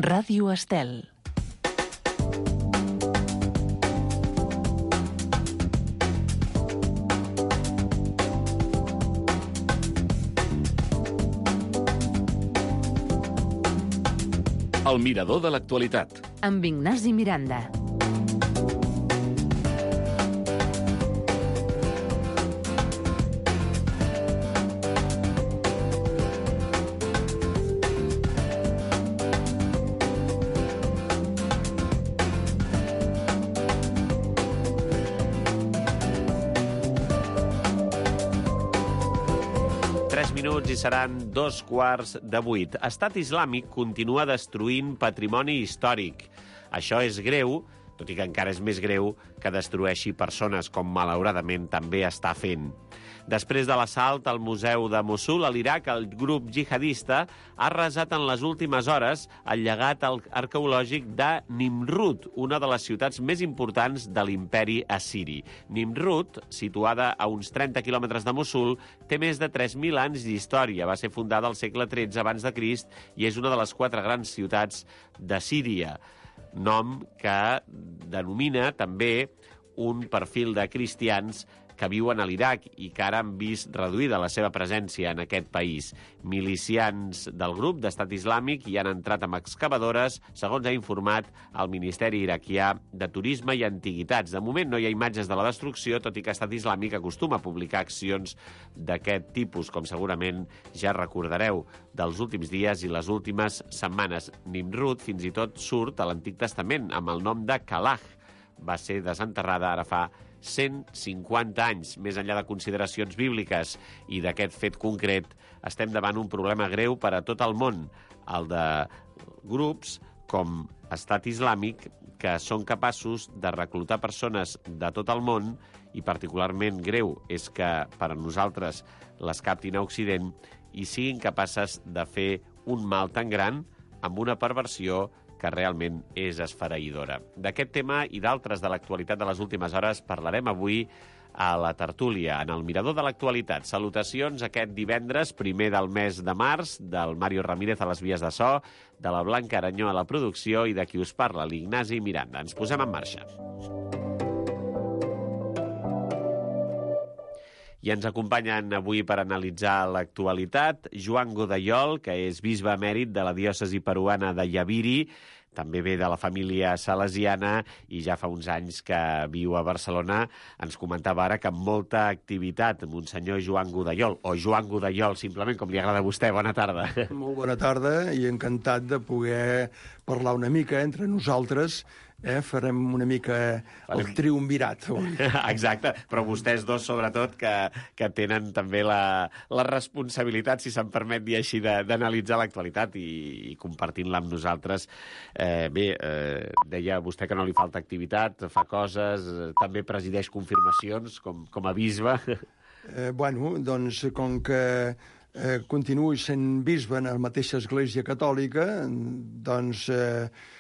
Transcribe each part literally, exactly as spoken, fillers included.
Ràdio Estel. El mirador de l'actualitat. Amb Ignasi Miranda. Minuts i seran dos quarts de vuit. Estat Islàmic continua destruint patrimoni històric. Això és greu, tot i que encara és més greu que destrueixi persones, com malauradament també està fent. Després de l'assalt al Museu de Mossul, a l'Iraq, el grup jihadista ha arrasat en les últimes hores el llegat arqueològic de Nimrud, una de les ciutats més importants de l'imperi assiri. Nimrud, situada a uns trenta quilòmetres de Mossul, té més de tres mil anys d'història. Va ser fundada al segle tretze abans de Crist i és una de les quatre grans ciutats de Síria, nom que denomina també un perfil de cristians que viuen a l'Iraq i que ara han vist reduïda la seva presència en aquest país. Milicians del grup d'Estat Islàmic hi han entrat amb excavadores, segons ha informat el Ministeri iraquià de Turisme i Antiguitats. De moment no hi ha imatges de la destrucció, tot i que Estat Islàmic acostuma a publicar accions d'aquest tipus, com segurament ja recordareu dels últims dies i les últimes setmanes. Nimrud fins i tot surt a l'Antic Testament amb el nom de Calah. Va ser desenterrada ara fa cent cinquanta anys. Més enllà de consideracions bíbliques i d'aquest fet concret, estem davant un problema greu per a tot el món, el de grups com Estat Islàmic, que són capaços de reclutar persones de tot el món, i particularment greu és que per a nosaltres les captin a Occident i siguin capaces de fer un mal tan gran amb una perversió que realment és esfereïdora. D'aquest tema i d'altres de l'actualitat de les últimes hores parlarem avui a la tertúlia, en el Mirador de l'Actualitat. Salutacions aquest divendres, primer del mes de març, del Mario Ramírez a les vies de so, de la Blanca Aranyó a la producció i de qui us parla, l'Ignasi Miranda. Ens posem en marxa. I ens acompanyen avui per analitzar l'actualitat Joan Godellol, que és bisbe emèrit de la diòcesi peruana de Yaviri, també ve de la família salesiana i ja fa uns anys que viu a Barcelona. Ens comentava ara que amb molta activitat, Monsenyor Joan Godellol, o Joan Godellol, simplement, com li agrada a vostè. Bona tarda. Molt bona tarda i encantat de poder parlar una mica entre nosaltres. Eh, farem una mica el triumvirat. Exacte, però vostès dos, sobretot, que, que tenen també la, la responsabilitat, si se'm permet dir així, d'analitzar l'actualitat i, i compartint-la amb nosaltres. Eh, bé, eh, deia vostè que no li falta activitat, fa coses, eh, també presideix confirmacions com, com a bisbe. Eh, bueno, doncs, com que eh, continuo sent bisbe en la mateixa església catòlica, doncs... Eh,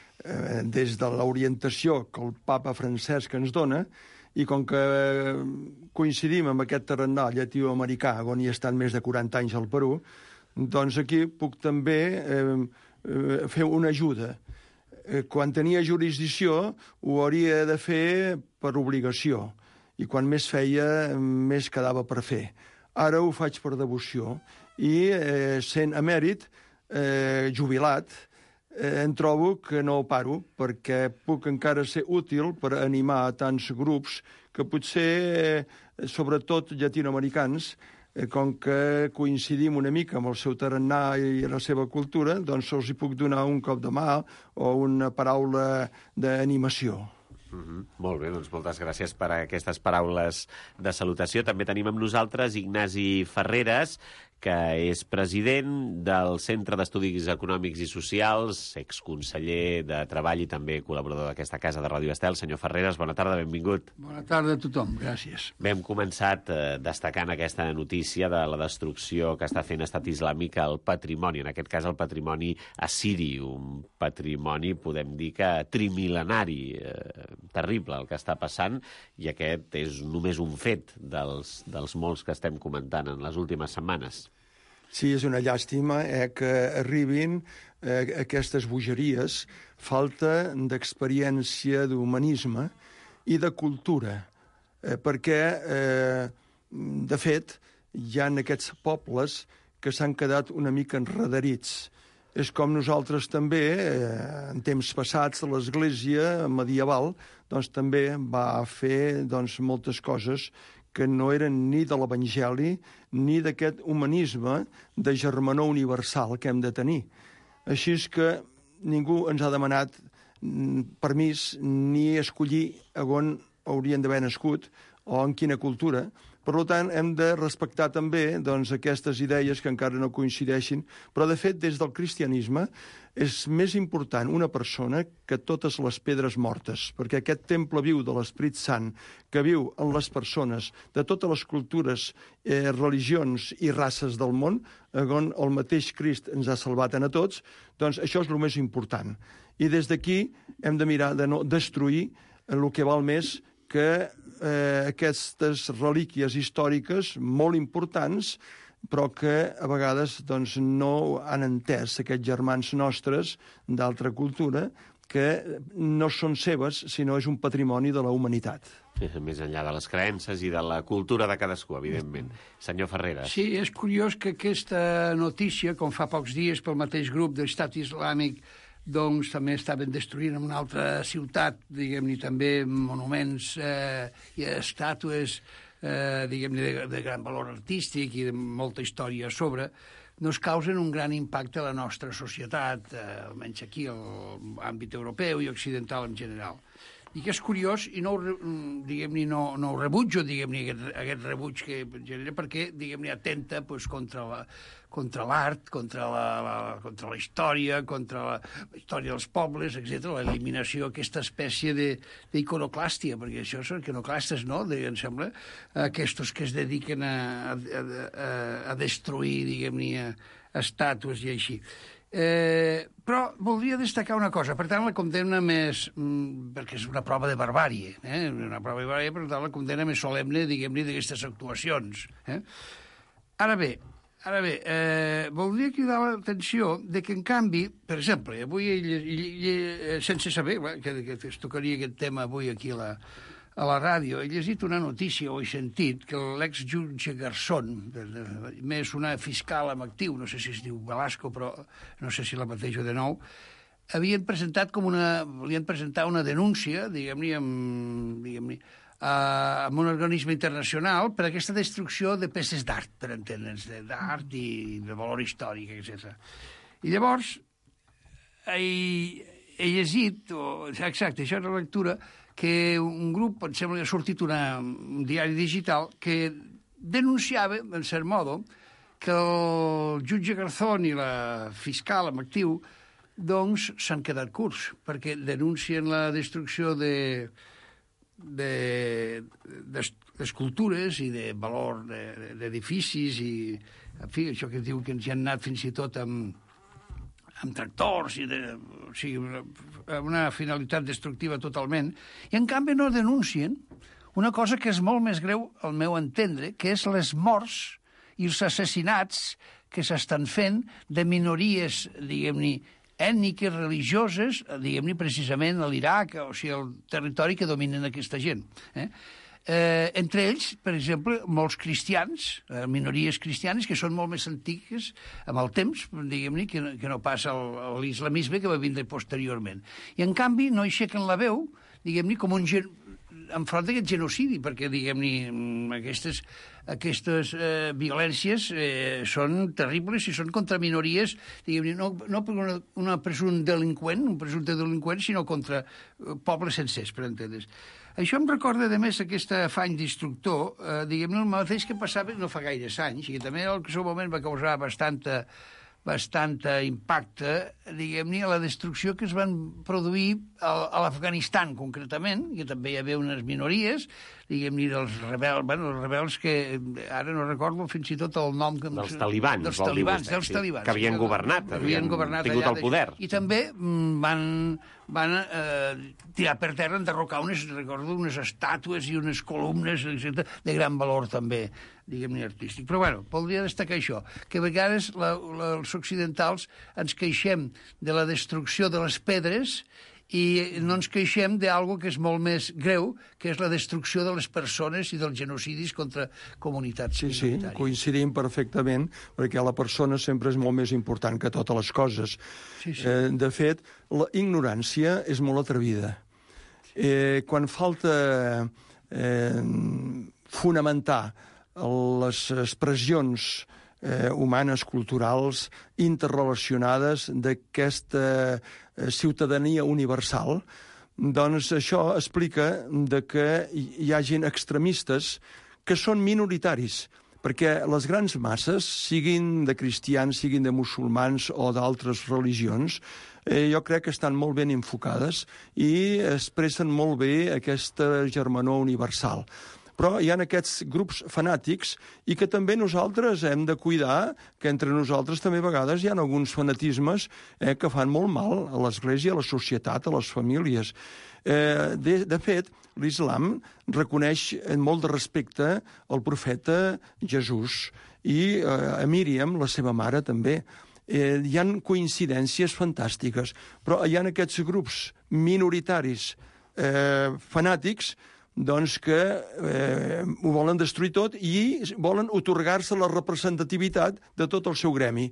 des de l'orientació que el papa Francesc ens dona, i com que coincidim amb aquest tarannà llatinoamericà, on hi he estat més de quaranta anys al Perú, doncs aquí puc també eh, fer una ajuda. Eh, quan tenia jurisdicció ho hauria de fer per obligació, i quan més feia, més quedava per fer. Ara ho faig per devoció, i eh, sent emèrit, eh, jubilat, em trobo que no paro, perquè puc encara ser útil per animar a tants grups que potser, sobretot llatinoamericans, com que coincidim una mica amb el seu tarannà i la seva cultura, doncs els hi puc donar un cop de mà o una paraula d'animació. Mm-hmm. Molt bé, doncs moltes gràcies per aquestes paraules de salutació. També tenim amb nosaltres Ignasi Ferreres, que és president del Centre d'Estudis Econòmics i Socials, exconseller de Treball i també col·laborador d'aquesta casa de Ràdio Estel. Senyor Ferreres, bona tarda, benvingut. Bona tarda a tothom, gràcies. Bé, hem començat eh, destacant aquesta notícia de la destrucció que està fent Estat Islàmic al patrimoni, en aquest cas el patrimoni assiri, un patrimoni, podem dir que trimil·lenari, eh, terrible el que està passant, i aquest és només un fet dels, dels molts que estem comentant en les últimes setmanes. Sí, és una llàstima eh, que arribin eh, aquestes bogeries, falta d'experiència, d'humanisme i de cultura, eh, perquè, eh, de fet, hi ha aquests pobles que s'han quedat una mica enredarits. És com nosaltres també, eh, en temps passats, l'Església medieval doncs, també va fer doncs, moltes coses que no eren ni de l'Evangeli ni d'aquest humanisme de germanor universal que hem de tenir. Així és que ningú ens ha demanat permís ni escollir on haurien d'haver nascut o en quina cultura. Per tant, hem de respectar també doncs, aquestes idees que encara no coincideixin, però, de fet, des del cristianisme és més important una persona que totes les pedres mortes, perquè aquest temple viu de l'Esperit Sant, que viu en les persones de totes les cultures, eh, religions i races del món, on el mateix Crist ens ha salvat a tots, doncs això és el més important. I des d'aquí hem de mirar de no destruir el que val més que eh, aquestes relíquies històriques molt importants, però que a vegades doncs, no han entès aquests germans nostres d'altra cultura, que no són seves, sinó és un patrimoni de la humanitat. Més enllà de les creences i de la cultura de cadascú, evidentment. Senyor Ferreres. Sí, és curiós que aquesta notícia, com fa pocs dies pel mateix grup d'Estat Islàmic, doncs també estaven destruint en una altra ciutat, diguem-ne, també monuments eh, i estàtues, eh, diguem-ne, de, de gran valor artístic i de molta història a sobre, nos causen un gran impacte a la nostra societat, eh, almenys aquí, a l'àmbit europeu i occidental en general. I que és curiós, i no, diguem-ne, no, no ho rebutjo, diguem-ne, aquest, aquest rebuig que genera, perquè, diguem-ne, atenta pues, contra la, contra l'art, contra la, la, contra la història, contra la, la història dels pobles, etcètera, l'eliminació d'aquesta espècie d'iconoclàstia, perquè això són iconoclastes, no?, de, em sembla, aquests que es dediquen a, a, a, a destruir, diguem-ne, estàtues i així. Eh, però voldria destacar una cosa, per tant la condemna més, mm, perquè és una prova de barbàrie, eh? una prova de barbàrie, per tant la condemna més solemne, diguem-ne, d'aquestes actuacions. Eh? Ara bé, ara bé eh, voldria cridar l'atenció de que, en canvi, per exemple, avui, sense saber que, que es tocaria aquest tema avui aquí a la, a la ràdio, he llegit una notícia o he sentit que l'exjutge Garzón, de, de, més una fiscal amb actiu, no sé si es diu Velasco, però no sé si la batejo de nou, havien presentat com una, volien presentar una denúncia, diguem-ne, amb, diguem-ne, Uh, amb un organisme internacional per aquesta destrucció de peces d'art, per entendre'ns, d'art i de valor històric, etcètera. I llavors he, he llegit, o, exacte, això és la lectura, que un grup, em sembla que ha sortit una, un diari digital, que denunciava, en cert modo, que el jutge Garzón i la fiscal amb actiu doncs s'han quedat curts, perquè denuncien la destrucció de d'escultures i de valor d'edificis i, en fi, això que diu que ens hi han anat fins i tot amb, amb tractors i de, o sigui, amb una finalitat destructiva totalment, i en canvi no denuncien una cosa que és molt més greu al meu entendre, que és les morts i els assassinats que s'estan fent de minories, diguem-ne, ètniques, religioses, diguem-ne, precisament a l'Iraq, o sigui, el territori que dominen aquesta gent. Eh? Eh, entre ells, per exemple, molts cristians, eh, minories cristianes, que són molt més antigues amb el temps, diguem-ne, que, que no passa l'islamisme que va vindre posteriorment. I, en canvi, no aixequen la veu, diguem-ne, com un gen... enfront d'aquest genocidi, perquè, diguem-ne, aquestes, aquestes eh, violències eh, són terribles i són contra minories, diguem-ne, no, no per una, una presumpte delinqüent, un presumpte delinqüent, sinó contra eh, pobles sencers, per entendre's. Això em recorda, a més, aquest afany d'instructor, eh, diguem-ne, el mateix que passava no fa gaires anys, i que també en el seu moment va causar bastanta, bastanta impacte, diguem-ne, a la destrucció que es van produir a, a l'Afganistan, concretament, que també hi havia unes minories, diguem-ne, dels rebels, bueno, els rebels que ara no recordo fins i tot el nom... Que dels talibans, dels vol dir talibans, vostè, dels sí, talibans. Que havien sí, governat, havien, havien tingut el poder. I també mm, van, van eh, tirar per terra, enderrocar unes, recordo, unes estàtues i unes columnes, etcètera, de gran valor també, diguem-ne, artístic. Però, bueno, voldria destacar això, que a vegades la, la, els occidentals ens queixem de la destrucció de les pedres i no ens queixem d'algo que és molt més greu, que és la destrucció de les persones i dels genocidis contra comunitats sí, minoritàries. Sí, coincidim perfectament, perquè la persona sempre és molt més important que totes les coses. Sí, sí. Eh, de fet, la ignorància és molt atrevida. Eh, quan falta eh, fonamentar les expressions eh, humanes, culturals, interrelacionades d'aquesta eh, ciutadania universal, doncs això explica de que hi ha gent extremistes que són minoritaris, perquè les grans masses, siguin de cristians, siguin de musulmans o d'altres religions, eh, jo crec que estan molt ben enfocades i expressen molt bé aquesta germanor universal. Però hi ha aquests grups fanàtics i que també nosaltres hem de cuidar, que entre nosaltres també a vegades hi ha alguns fanatismes eh, que fan molt mal a l'Església, a la societat, a les famílies. Eh, de, de fet, l'islam reconeix amb molt de respecte al profeta Jesús i eh, a Míriam, la seva mare, també. Eh, hi han coincidències fantàstiques, però hi ha aquests grups minoritaris eh, fanàtics doncs que eh, ho volen destruir tot i volen otorgar-se la representativitat de tot el seu gremi,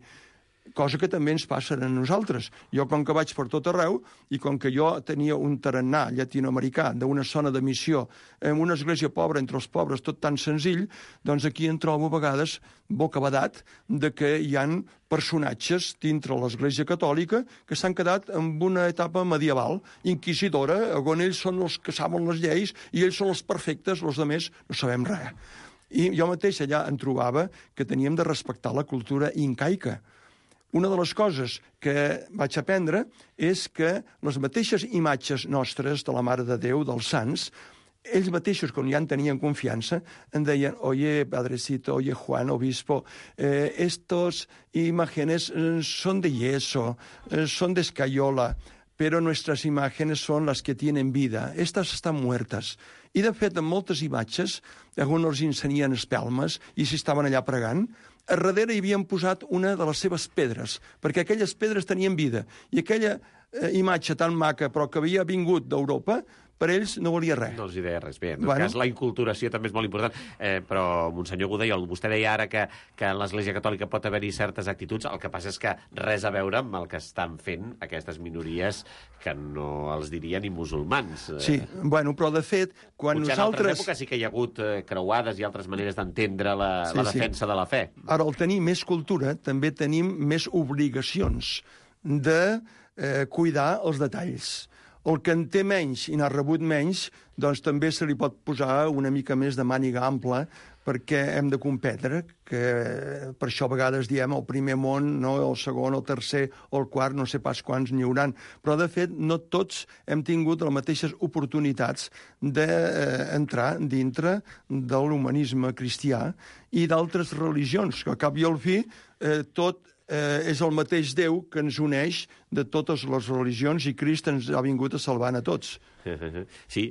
cosa que també ens passa a nosaltres. Jo, com que vaig per tot arreu, i com que jo tenia un tarannà llatinoamericà d'una zona de missió, en una església pobra entre els pobres, tot tan senzill, doncs aquí em trobo a vegades bocabadat de que hi han personatges dintre l'església catòlica que s'han quedat en una etapa medieval, inquisidora, on ells són els que saben les lleis i ells són els perfectes, els altres no sabem res. I jo mateix allà em trobava que teníem de respectar la cultura incaica. Una de les coses que vaig aprendre és que les mateixes imatges nostres de la Mare de Déu, dels sants, ells mateixos, quan ja en tenien confiança, em deien, oye, padrecito, oye, Juan, obispo, eh, estos imágenes son de yeso, eh, son de escayola, pero nuestras imágenes son las que tienen vida. Estas están muertas. I, de fet, en moltes imatges, on els ensenien espelmes i s'hi estaven allà pregant, a darrere hi havien posat una de les seves pedres, perquè aquelles pedres tenien vida. I aquella eh, imatge tan maca, però que havia vingut d'Europa, per ells no valia res. No els hi deia res. Bé, en tot Bueno. cas, la inculturació també és molt important. Eh, però, Monsenyor Godaiol, vostè deia ara que, que en l'Església Catòlica pot haver-hi certes actituds, el que passa és que res a veure amb el que estan fent aquestes minories que no els diria ni musulmans. Sí, bueno, però de fet, quan Potser nosaltres... en altres èpoques sí que hi ha hagut eh, creuades i altres maneres d'entendre la, Sí, la sí. defensa de la fe. Ara, al tenir més cultura, també tenim més obligacions de eh, cuidar els detalls. El que en té menys i n'ha rebut menys, doncs també se li pot posar una mica més de màniga ampla perquè hem de competre, que per això a vegades diem el primer món, no el segon, el tercer o el quart, no sé pas quants n'hi hauran. Però, de fet, no tots hem tingut les mateixes oportunitats d'entrar dintre de l'humanisme cristià i d'altres religions, que a cap i al fi eh, tot eh, és el mateix Déu que ens uneix de totes les religions i Crist ens ha vingut a salvar a tots. Sí,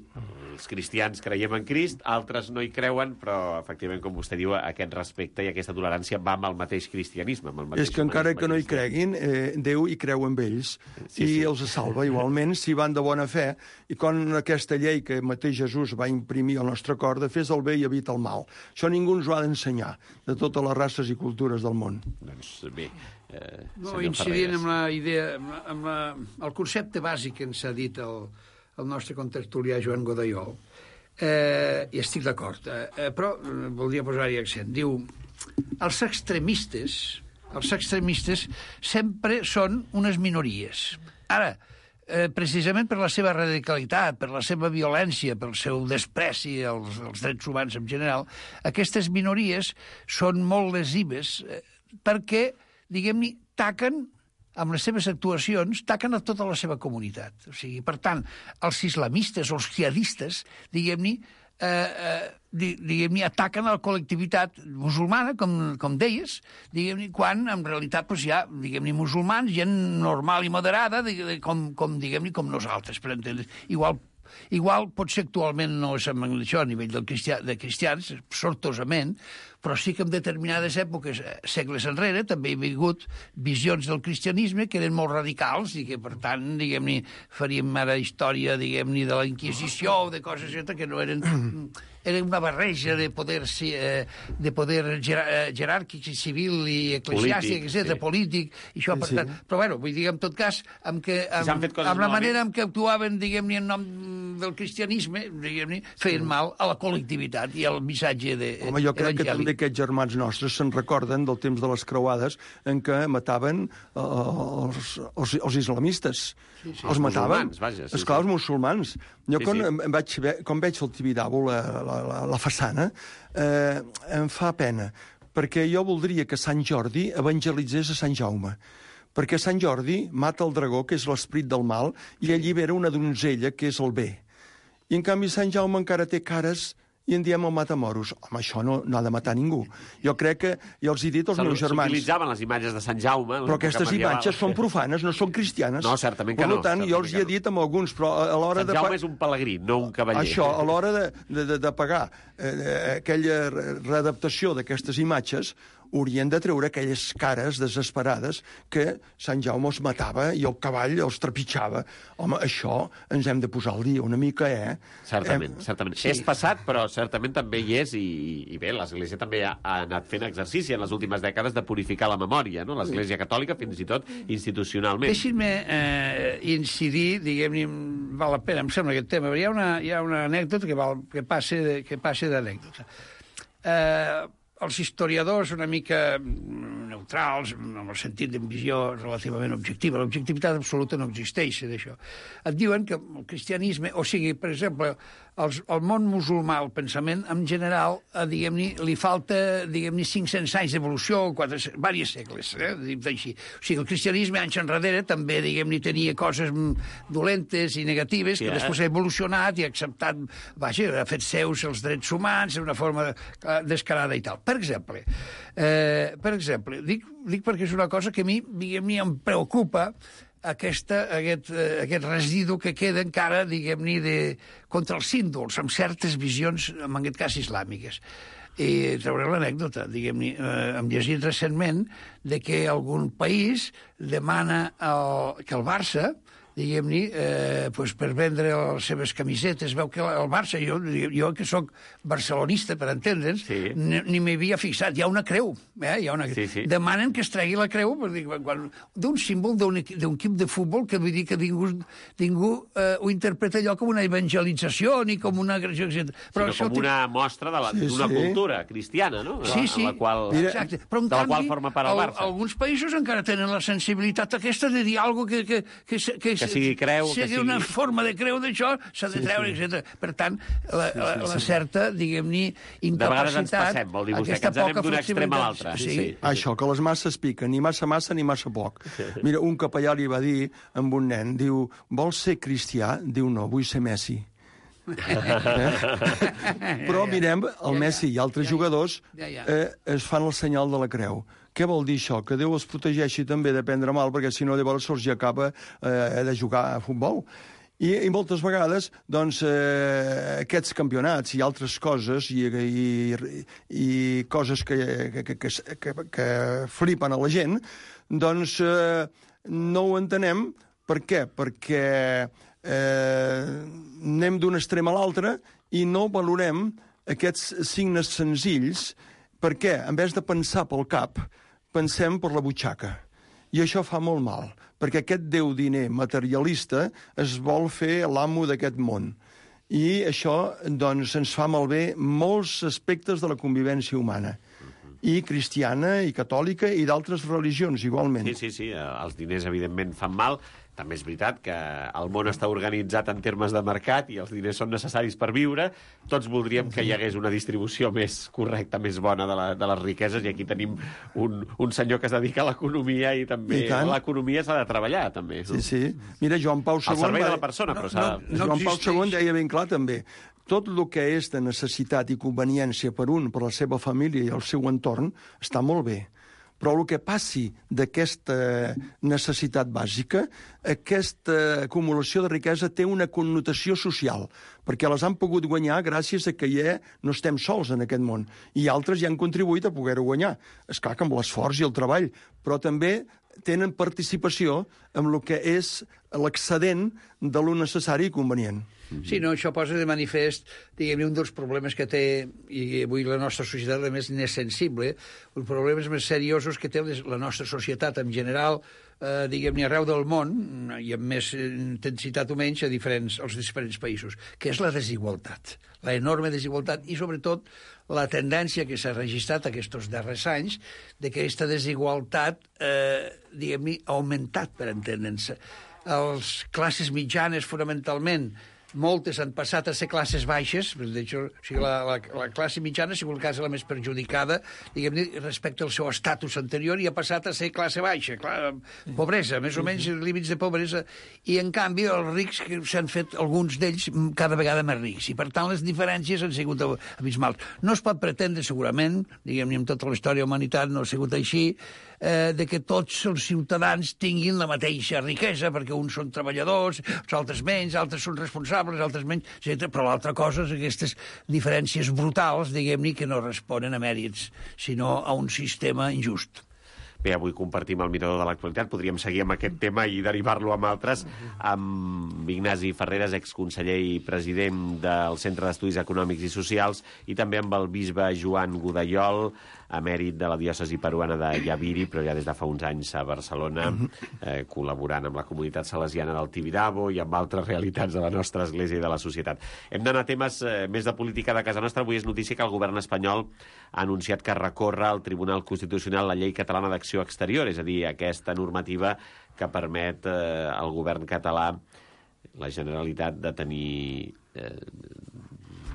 els cristians creiem en Crist, altres no hi creuen, però, efectivament, com vostè diu, aquest respecte i aquesta tolerància va amb el mateix cristianisme. Amb el mateix És que encara que no hi cristià. creguin, eh, Déu hi creu en ells Sí, i sí. els salva igualment si van de bona fe. I quan aquesta llei que mateix Jesús va imprimir al nostre cor de fes el bé i evita el mal. Això ningú ens ho ha d'ensenyar, de totes les races i cultures del món. Doncs bé, eh, No, senyor incidint Ferreres. amb la idea, amb, la, amb la, el concepte bàsic que ens ha dit el, el nostre contertulià Joan Godaiol, eh, i estic d'acord, eh, però eh, voldria posar-hi accent. Diu, els extremistes, els extremistes sempre són unes minories. Ara, eh, precisament per la seva radicalitat, per la seva violència, pel seu despreci als, als drets humans en general, aquestes minories són molt lesives eh, perquè, diguem-ne, taquen amb les seves actuacions, taquen a tota la seva comunitat. O sigui, per tant, els islamistes o els jihadistes, diguem-ne, eh, eh, diguem-ne, ataquen a la col·lectivitat musulmana, com, com deies, diguem-ne, quan en realitat pues, hi ha, diguem-ne, musulmans, gent normal i moderada, de, de, com, com diguem-ne, com nosaltres, per entendre. Igual Igual, potser actualment no és amb això a nivell del cristià, de cristians, sortosament, però sí que en determinades èpoques, segles enrere, també hi ha hagut visions del cristianisme que eren molt radicals i que, per tant, diguem-ne, faríem ara història, diguem-ne, de la Inquisició o de coses que no eren... Era una barreja de poder, eh, de poder jeràrquic i civil i eclesiàstic, etcètera, sí. Polític, i això, per sí, tant... Sí. Però, bueno, vull dir, en tot cas, amb, que, amb, si amb la manera en què actuaven, diguem-ne, en nom del cristianisme, diguem-ne, feien mal a la col·lectivitat i al missatge de Home, jo crec evangèlic. Que també aquests germans nostres se'n recorden del temps de les creuades en què mataven uh, els, els, els islamistes. Sí, sí. Els mataven. Musulmans, vaja. Sí, esclar, sí. Els musulmans. Jo, sí, quan, sí. Vaig, quan veig el Tibidabo, la, la, la, la façana, eh, em fa pena, perquè jo voldria que Sant Jordi evangelitzés a Sant Jaume. Perquè Sant Jordi mata el dragó, que és l'esperit del mal, i allibera una donzella, que és el bé. I, en canvi, Sant Jaume encara té cares i en diem el matamoros. Home, això no, no ha de matar ningú. Jo crec que, ja els he dit als meus germans... S'utilitzaven les imatges de Sant Jaume... Però aquestes imatges són profanes, no són cristianes. No, certament que no. Per tant, jo els hi he dit amb alguns, però a l'hora de... Sant Jaume és un pelegrí, no un cavaller. Això, a l'hora de, de, de, de pagar eh, aquella readaptació d'aquestes imatges, haurien de treure aquelles cares desesperades que Sant Jaume els matava i el cavall els trepitjava. Home, això ens hem de posar al dia una mica, eh? Certament, hem... certament. Sí. És passat, però certament també hi és, i, i bé, l'Església també ha, ha anat fent exercici en les últimes dècades de purificar la memòria, no? L'Església Catòlica, fins i tot institucionalment. Deixin-me eh, incidir, diguem-ne, val la pena, em sembla, aquest tema, hi ha una, hi ha una anècdota que, val, que passe que passe d'anècdota. Eh... Els historiadors una mica neutrals, en el sentit de visió relativament objectiva, l'objectivitat absoluta no existeix d'això, et diuen que el cristianisme, o sigui, per exemple, els, el món musulmà, el pensament, en general, eh, diguem-ne, li falta, diguem-ne, cinc-cents anys d'evolució, quatre, diversos segles, eh, dit així. O sigui, el cristianisme, anys enrere, també, diguem-ne, tenia coses dolentes i negatives, sí, que eh? després ha evolucionat i ha acceptat, vaja, ha fet seus els drets humans d'una forma descarada i tal. Per exemple, eh, per exemple, dic, dic perquè és una cosa que a mi, diguem-ne, em preocupa aquesta, aquest, aquest residu que queda encara, diguem-ne, de, contra els símbols, amb certes visions, en aquest cas, islàmiques. I trauré l'anècdota, diguem-ne, eh, hem llegit recentment de que algun país demana el, que el Barça, diguem-ne, eh, pues per vendre les seves camisetes, veu que el Barça, jo, jo que sóc barcelonista, per entendre'ns, sí. ni, ni m'hi havia fixat, hi ha una creu, eh? Hi ha una... sí, sí. Demanen que es tregui la creu d'un símbol d'un equip de futbol que vull dir que ningú, ningú eh, ho interpreta allò com una evangelització ni com una agressió, etcètera. Però sinó com una mostra d'una sí, sí. cultura cristiana, no? Sí, sí. La qual, exacte. Però, en de la canvi, qual forma part el Barça. Alguns països encara tenen la sensibilitat aquesta de dir alguna cosa que, que, que, que que sigui creu, sigui que sigui... una forma de creu d'això, s'ha de treure, sí, sí. etcètera. Per tant, la, la, la certa, diguem-ne, incapacitat... De vegades ens passem, vol dir vostè, que ens anem d'un extrem a l'altre. Sí, sí. Això, que les masses piquen, ni massa massa ni massa poc. Mira, un capellà li va dir amb un nen, diu, vols ser cristià? Diu, no, vull ser Messi. eh? Però mirem, el Messi i altres jugadors eh, es fan el senyal de la creu. Què vol dir això? Que Déu els protegeixi també de prendre mal, perquè si no llavors se'ls acaba eh, de jugar a futbol. I, i moltes vegades, doncs, eh, aquests campionats i altres coses, i, i, i coses que, que, que, que, que flipen a la gent, doncs eh, no ho entenem. Per què? Perquè eh, anem d'un extrem a l'altre i no valorem aquests signes senzills. Per què? En vez de pensar pel cap, pensem per la butxaca. I això fa molt mal, perquè aquest déu diner materialista es vol fer l'amo d'aquest món. I això, doncs, ens fa malbé molts aspectes de la convivència humana. i cristiana, i catòlica, i d'altres religions, igualment. Sí, sí, sí, els diners, evidentment, fan mal. També és veritat que el món està organitzat en termes de mercat i els diners són necessaris per viure. Tots voldríem que hi hagués una distribució més correcta, més bona de, la, de les riqueses, i aquí tenim un, un senyor que es dedica a l'economia i també a l'economia s'ha de treballar, també. Sí, sí. Mira, Joan Pau segon... Al servei de la persona, però s'ha de... No, no Joan Pau segon deia ben clar, també, tot el que és de necessitat i conveniència per un, per la seva família i el seu entorn, està molt bé. Però el que passi d'aquesta necessitat bàsica, aquesta acumulació de riquesa té una connotació social, perquè les han pogut guanyar gràcies a que ja no estem sols en aquest món, i altres ja han contribuït a poder-ho guanyar. És clar que amb l'esforç i el treball, però també tenen participació en el que és l'excedent de lo necessari i convenient. Sí, no, això posa de manifest, diguem-ne, un dels problemes que té, i avui la nostra societat, a més, n'és sensible, els problemes més seriosos que té la nostra societat en general, eh, diguem-ne, arreu del món, i amb més intensitat o menys, a diferents, als diferents països, que és la desigualtat, la enorme desigualtat, i sobretot la tendència que s'ha registrat aquests darrers anys de que aquesta desigualtat, eh, diguem-ne, ha augmentat, per entendre'ns. Les classes mitjanes, fonamentalment, moltes han passat a ser classes baixes, de hecho, o sigui, la, la, la classe mitjana ha sigut el cas la més perjudicada, diguem-ne, respecte al seu estatus anterior, i ha passat a ser classe baixa, clar, pobresa, més o menys límits de pobresa, i en canvi els rics s'han fet, alguns d'ells, cada vegada més rics, i per tant les diferències han sigut abismals. No es pot pretendre, segurament, diguem-ne, en tota la història de la humanitat no ha sigut així, eh, de que tots els ciutadans tinguin la mateixa riquesa, perquè uns són treballadors, els altres menys, altres són responsables, altres menys, etcètera. Però l'altra cosa és aquestes diferències brutals, diguem-ne, que no responen a mèrits, sinó a un sistema injust. Bé, avui compartim el mirador de l'actualitat. Podríem seguir amb aquest tema i derivar-lo amb altres, amb Ignasi Ferreres, exconseller i president del Centre d'Estudis Econòmics i Socials, i també amb el bisbe Joan Godallol, emèrit de la diòcesi peruana de Yaviri, però ja des de fa uns anys a Barcelona, eh, col·laborant amb la comunitat salesiana del Tibidabo i amb altres realitats de la nostra església i de la societat. Hem d'anar a temes eh, més de política de casa nostra. Avui és notícia que el govern espanyol ha anunciat que recorre al Tribunal Constitucional la llei catalana d'acció exterior, és a dir, aquesta normativa que permet eh, al govern català, la Generalitat, de tenir eh,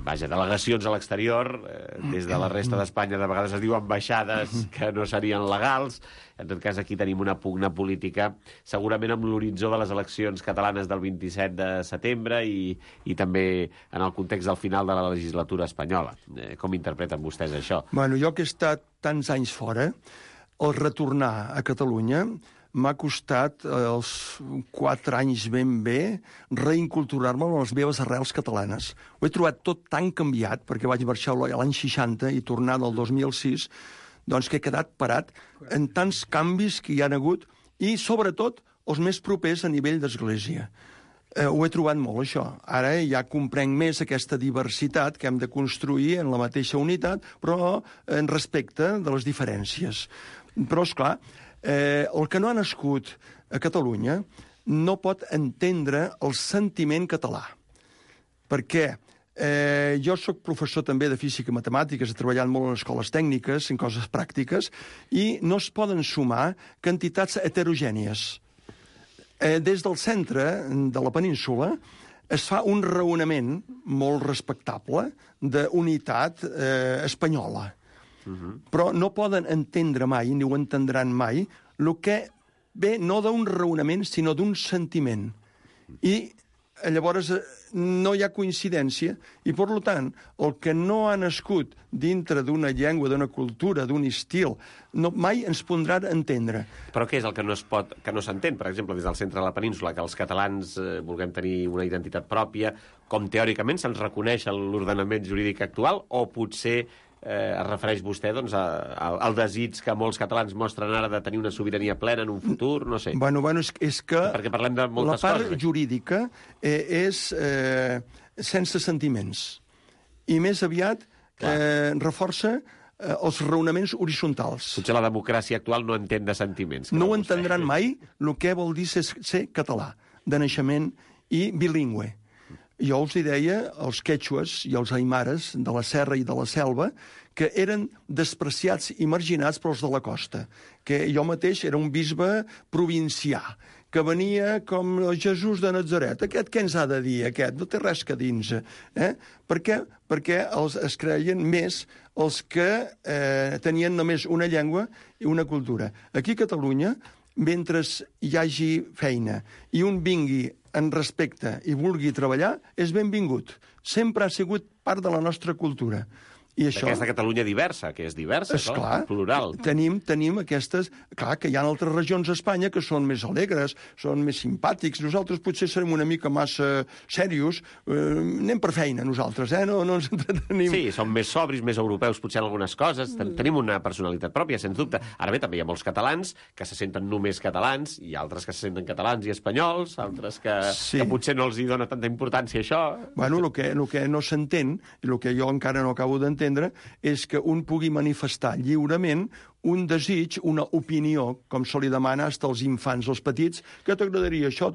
vaja, delegacions a l'exterior, eh, des de la resta d'Espanya de vegades es diu ambaixades que no serien legals. En tot cas, aquí tenim una pugna política, segurament amb l'horitzó de les eleccions catalanes del vint-i-set de setembre i, i també en el context del final de la legislatura espanyola. Eh, com interpreten vostès això? Bueno, jo que he estat tants anys fora, el retornar a Catalunya m'ha costat eh, els quatre anys ben bé reinculturar-me amb les meves arrels catalanes. Ho he trobat tot tan canviat, perquè vaig marxar l'any seixanta i tornar del dos mil sis, doncs que he quedat parat en tants canvis que hi han hagut i, sobretot, els més propers a nivell d'església. Eh, ho he trobat molt, això. Ara ja comprenc més aquesta diversitat que hem de construir en la mateixa unitat, però en respecte de les diferències. Però, esclar, Eh, el que no ha nascut a Catalunya no pot entendre el sentiment català. Perquè eh, jo sóc professor també de física i matemàtiques, he treballat molt en escoles tècniques, en coses pràctiques, i no es poden sumar quantitats heterogènies. Eh, des del centre de la península es fa un raonament molt respectable d'unitat eh, espanyola. Però no poden entendre mai, ni ho entendran mai, el que ve no d'un raonament, sinó d'un sentiment. I llavors no hi ha coincidència, i per tant, el que no ha nascut dintre d'una llengua, d'una cultura, d'un estil, no, mai ens podrà entendre. Però què és el que no es pot, que no s'entén, per exemple, des del centre de la península, que els catalans eh, vulguem tenir una identitat pròpia, com teòricament se'ns reconeix a l'ordenament jurídic actual, o potser Eh, es refereix vostè doncs, a, a, al desig que molts catalans mostren ara de tenir una sobirania plena en un futur? No sé. Bueno, bueno, és, és que perquè parlem de moltes la part coses. Jurídica eh, és eh, sense sentiments. I més aviat eh, reforça eh, els raonaments horitzontals. Potser la democràcia actual no entén de sentiments. No ho entendran mai el que vol dir ser, ser català, de naixement i bilingüe. Jo els hi deia els quechues i els aimares de la serra i de la selva, que eren despreciats i marginats pels de la costa, que jo mateix era un bisbe provincià, que venia com Jesús de Nazaret. Aquest què ens ha de dir, aquest? No té res que dins. Eh? Per què? Perquè els, es creien més els que eh, tenien només una llengua i una cultura. Aquí a Catalunya, mentre hi hagi feina i un vingui en respecte i vulgui treballar, és benvingut. Sempre ha sigut part de la nostra cultura. I això... D'aquesta Catalunya diversa, que és diversa, és clar, plural. Tenim, tenim aquestes... Clar que hi ha altres regions d'Espanya que són més alegres, són més simpàtics. Nosaltres potser serem una mica massa serios. Eh, anem per feina, nosaltres, eh? No, no ens entretenim. Sí, som més sobris, més europeus, potser en algunes coses. Ten Tenim una personalitat pròpia, sens dubte. Ara bé, també hi ha molts catalans que se senten només catalans, i altres que se senten catalans i espanyols, altres que, sí. que potser no els hi dona tanta importància, això. Bueno, el que, el que no s'entén, i el que jo encara no acabo d'entendre, és que un pugui manifestar lliurement un desig, una opinió, com se li demana als infants, als petits, que t'agradaria això.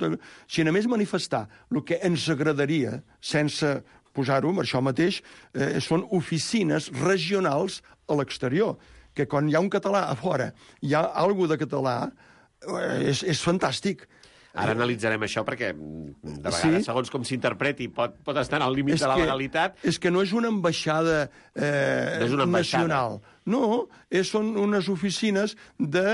Si només manifestar el que ens agradaria, sense posar-ho, això mateix, eh, són oficines regionals a l'exterior, que quan hi ha un català a fora, hi ha alguna de català, eh, és, és fantàstic. Ara analitzarem això perquè, de vegades, sí. segons com s'interpreti, pot, pot estar al límit de la que, legalitat. És que no és una ambaixada eh, no és una ambaixada. nacional. No, és, són unes oficines de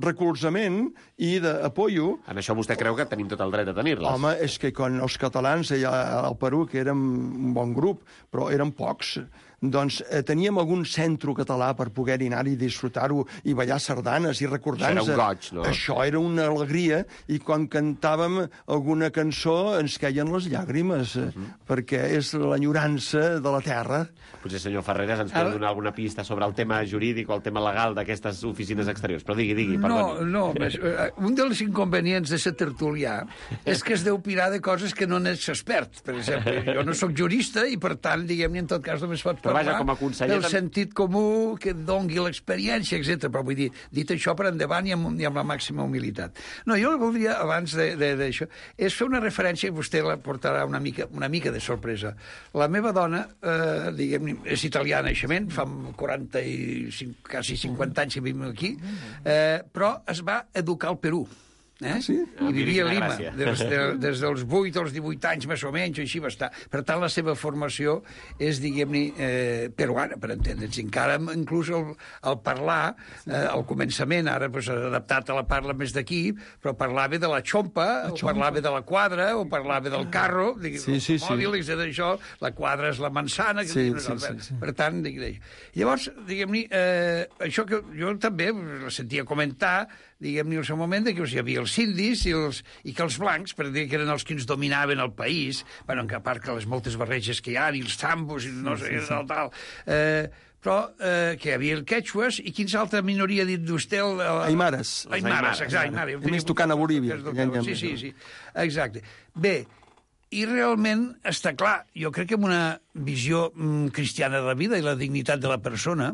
recolzament i d'apoyo. En això vostè creu que tenim tot el dret a tenir-les? Home, és que quan els catalans allà al Perú, que érem un bon grup, però eren pocs, doncs eh, teníem algun centre català per poder-hi anar i disfrutar-ho i ballar sardanes i recordar-nos. Això era un goig, no? Això era una alegria, i quan cantàvem alguna cançó ens queien les llàgrimes, uh -huh. perquè és l'enyorança de la terra. Potser, senyor Ferreras, ens pot donar alguna pista sobre el tema jurídic o el tema legal d'aquestes oficines exteriors. Però digui, digui, perdoni. No, no, més, un dels inconvenients de ser tertulià és que es deu pirar de coses que no n'ets expert. Per exemple, jo no sóc jurista i, per tant, diguem-ne, en tot cas només pot Però vaja, com a conseller... del sentit comú que dongui l'experiència, etcètera. Però vull dir, dit això per endavant i amb, i amb la màxima humilitat. No, jo voldria, abans d'això, és fer una referència, i vostè la portarà una mica, una mica de sorpresa. La meva dona, eh, diguem, és italiana, naixement, fa quaranta i cinc, quasi cinquanta anys que vivim aquí, eh, però es va educar al Perú. Eh? Sí? I vivia a Lima, des, de, des dels vuit als divuit anys, més o menys, així va estar. Per tant, la seva formació és, diguem-ne, eh, peruana, per entendre'ns. Encara, inclús, el, el parlar, eh, al començament, ara pues, adaptat a la parla més d'aquí, però parlava de la xompa, la o parlava de la quadra, o parlava del carro, sí, sí, sí. mòbil, d'això, la quadra és la manzana, que sí, sí, sí, sí, sí. Per tant, diguem-ne. Llavors, diguem-ne, eh, això que jo també la sentia comentar, diguem-ne, al seu moment, que hi havia els indis i, els, i que els blancs, per dir que eren els que ens dominaven el país, bueno, a part que les moltes barreges que hi ha, i els tambos, i no sé, sí, sí, sí. tal, tal, eh, però eh, que hi havia el quechues, i quins altra minoria ha dit vostè? El, el... Aimares. Aimares, exacte. Aimares. A més, tocant a Bolívia. Sí, sí, sí, exacte. Bé, i realment està clar, jo crec que amb una visió mm, cristiana de la vida i la dignitat de la persona,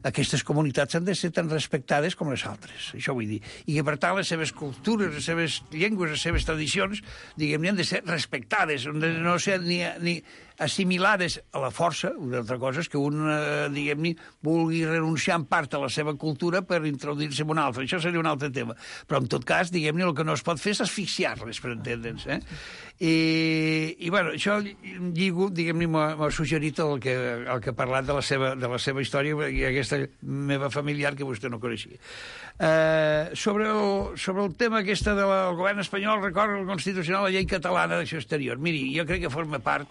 aquestes comunitats han de ser tan respectades com les altres, això vull dir. I que, per tant, les seves cultures, les seves llengües, les seves tradicions, diguem-ne, han de ser respectades, han de no ser ni, ni assimilades a la força. Una altra cosa és que un, eh, diguem-ne, vulgui renunciar en part a la seva cultura per introduir-se en una altra. Això seria un altre tema. Però, en tot cas, diguem-ne, el que no es pot fer és asfixiar-les, per entendre'ns. Eh? I, i, bueno, això lligo, diguem-ne, m'ha suggerit el que, el que ha parlat de la seva, de la seva història i aquesta meva familiar que vostè no coneixia. Eh, sobre, el, sobre el tema aquesta del govern espanyol, recorre el Constitucional, la llei catalana d'acció exterior. Miri, jo crec que forma part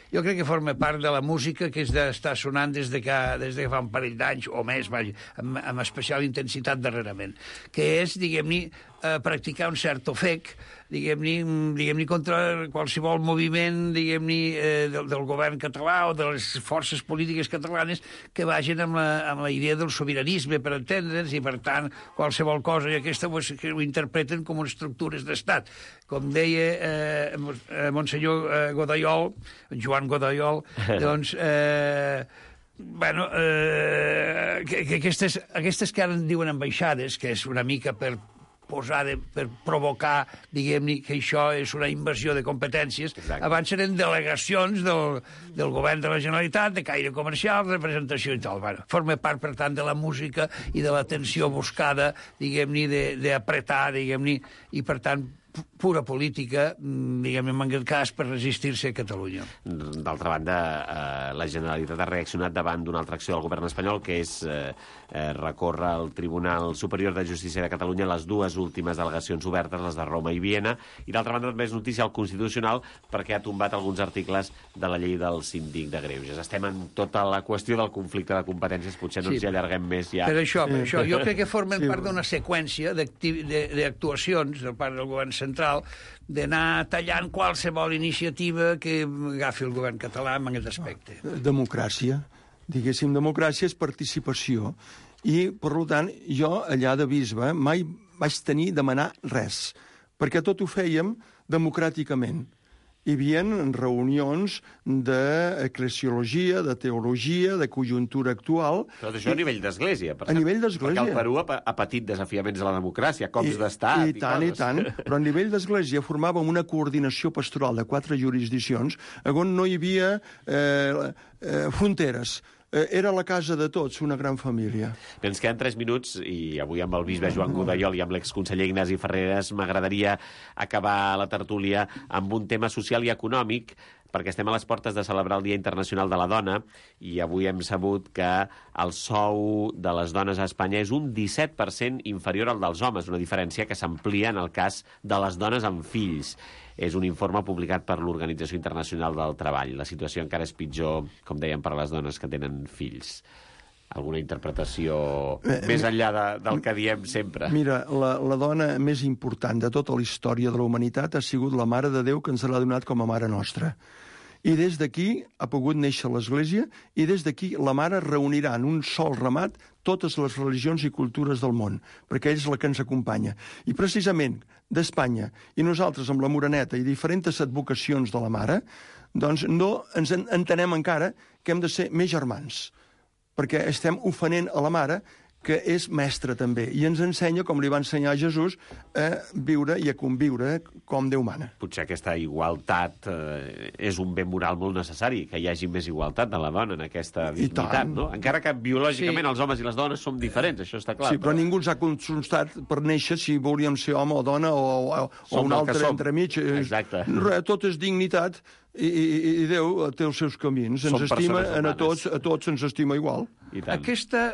jo crec que forma part de la música que és d'estar sonant des de, que, des de que fa un parell d'anys o més, vaja, amb, amb especial intensitat darrerament, que és, diguem-ne, eh, practicar un cert ofec, diguem-ne, diguem-ne contra qualsevol moviment, diguem-ne, eh, del, del govern català o de les forces polítiques catalanes que vagin amb la, amb la idea del sobiranisme, per entendre'ns, i, per tant, qualsevol cosa, i aquesta pues, que ho interpreten com estructures d'estat. Com deia eh, Monsenyor eh, Godaiol, Joan Godaiol, doncs... Eh, bueno, eh, que, que aquestes, aquestes que ara en diuen ambaixades, que és una mica per posar, de, per provocar, diguem-ne, que això és una invasió de competències. Exacte. Abans eren delegacions del, del govern de la Generalitat, de caire comercial, representació i tal. Bueno, forma part, per tant, de la música i de l'atenció buscada, diguem-ne, d'apretar, diguem-ne, i, per tant, pura política, diguem-ne, en aquest cas, per resistir-se a Catalunya. D'altra banda, eh, la Generalitat ha reaccionat davant d'una altra acció del govern espanyol, que és eh, eh, recórrer al Tribunal Superior de Justícia de Catalunya les dues últimes delegacions obertes, les de Roma i Viena, i d'altra banda també és notícia al Constitucional perquè ha tombat alguns articles de la llei del síndic de Greuges. Estem en tota la qüestió del conflicte de competències, potser no ens hi allarguem més ja. Per això, per això, jo crec que formen sí. part d'una seqüència d'actuacions del part del govern central d'anar tallant qualsevol iniciativa que agafi el govern català en aquest aspecte. Democràcia. Diguéssim, democràcia és participació. I, per tant, jo, allà de bisbe, mai vaig tenir demanar res, perquè tot ho fèiem democràticament. Hi havia reunions d'eclesiologia, de teologia, de conjuntura actual... Però això a nivell d'església, per A nivell d'església. Perquè el Perú ha, ha patit desafiaments a la democràcia, cops d'estat i, i tant, i tant. Però a nivell d'església formàvem una coordinació pastoral de quatre jurisdiccions on no hi havia eh, eh, fronteres. Era la casa de tots, una gran família. Bé, ens queden tres minuts i avui amb el bisbe Joan Godaiol i amb l'exconseller Ignasi Ferreres m'agradaria acabar la tertúlia amb un tema social i econòmic, perquè estem a les portes de celebrar el Dia Internacional de la Dona i avui hem sabut que el sou de les dones a Espanya és un disset per cent inferior al dels homes, una diferència que s'amplia en el cas de les dones amb fills. És un informe publicat per l'Organització Internacional del Treball. La situació encara és pitjor, com dèiem, per a les dones que tenen fills. Alguna interpretació eh, més enllà de, del que diem sempre? Mira, la, la dona més important de tota la història de la humanitat ha sigut la Mare de Déu, que ens l'ha donat com a Mare Nostra. I des d'aquí ha pogut néixer l'Església i des d'aquí la Mare reunirà en un sol ramat totes les religions i cultures del món, perquè ell és la que ens acompanya. I precisament d'Espanya i nosaltres amb la Moreneta i diferents advocacions de la Mare, doncs no ens entenem encara que hem de ser més germans, perquè estem ofenent a la Mare, que és mestra també, i ens ensenya, com li va ensenyar Jesús, a viure i a conviure com Déu mana. Potser aquesta igualtat eh, és un bé moral molt necessari, que hi hagi més igualtat de la dona en aquesta dignitat, no? Encara que biològicament sí. els homes i les dones som diferents, això està clar. Sí, però, però ningú ens ha consultat per néixer si volíem ser home o dona o, o, o un altre entremig. Exacte. Tot és dignitat i, i, i Déu té els seus camins. Ens estima, a tots, a tots ens estima igual. Aquesta,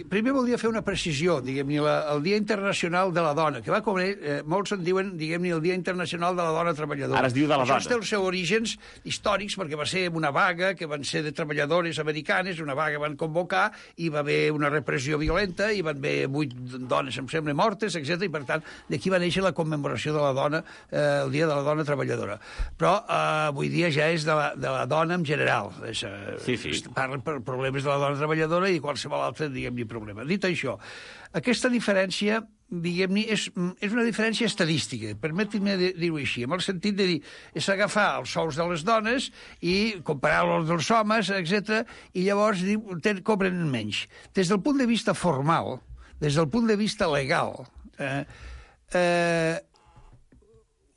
primer voldria fer una precisió, diguem-ne, el Dia Internacional de la Dona, que va com eh, molts en diuen, diguem-ne, el Dia Internacional de la Dona Treballadora. Ara es diu de la Això dona. Això té els seus orígens històrics, perquè va ser una vaga que van ser de treballadores americanes, una vaga van convocar, i va haver una repressió violenta, i van haver vuit dones, em sembla, mortes, etcètera. I per tant, d'aquí va néixer la commemoració de la dona, eh, el Dia de la Dona Treballadora. Però eh, avui dia ja és de la, de la dona en general. És, eh, sí, sí. Parlen per problemes de la dona treballadora i qualsevol altre, diguem-ne, problema. Dit això, aquesta diferència, diguem-ne, és, és una diferència estadística, permetin-me dir-ho així, en el sentit de dir, és agafar els sous de les dones i comparar-los dels homes, etcètera, i llavors diu, cobren menys. Des del punt de vista formal, des del punt de vista legal, eh, eh,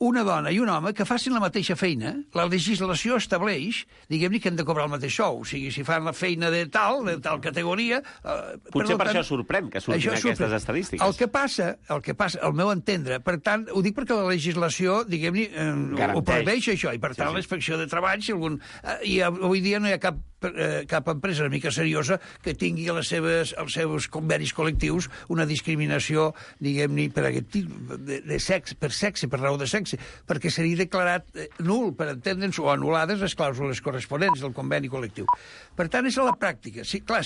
una dona i un home que facin la mateixa feina, la legislació estableix, diguem-ne, que han de cobrar el mateix sou. O sigui, si fan la feina de tal, de tal categoria... Eh, Potser per tant, això sorprèn que surtin aquestes sorprèn. estadístiques. El que passa, el que passa, al meu entendre, per tant, ho dic perquè la legislació, diguem-ne, eh, ho preveix això, i per tant sí, sí. l'inspecció de treball, si algun... Eh, i avui dia no hi ha cap eh, cap empresa una mica seriosa que tingui les seves, els seus convenis col·lectius una discriminació, diguem-ne, per aquest tipus de, de sexe, per sexe, per raó de sexe, perquè seria declarat eh, nul, per entendre'ns, o anul·lades les clàusules corresponents del conveni col·lectiu. Per tant, és a la pràctica. Sí, clar,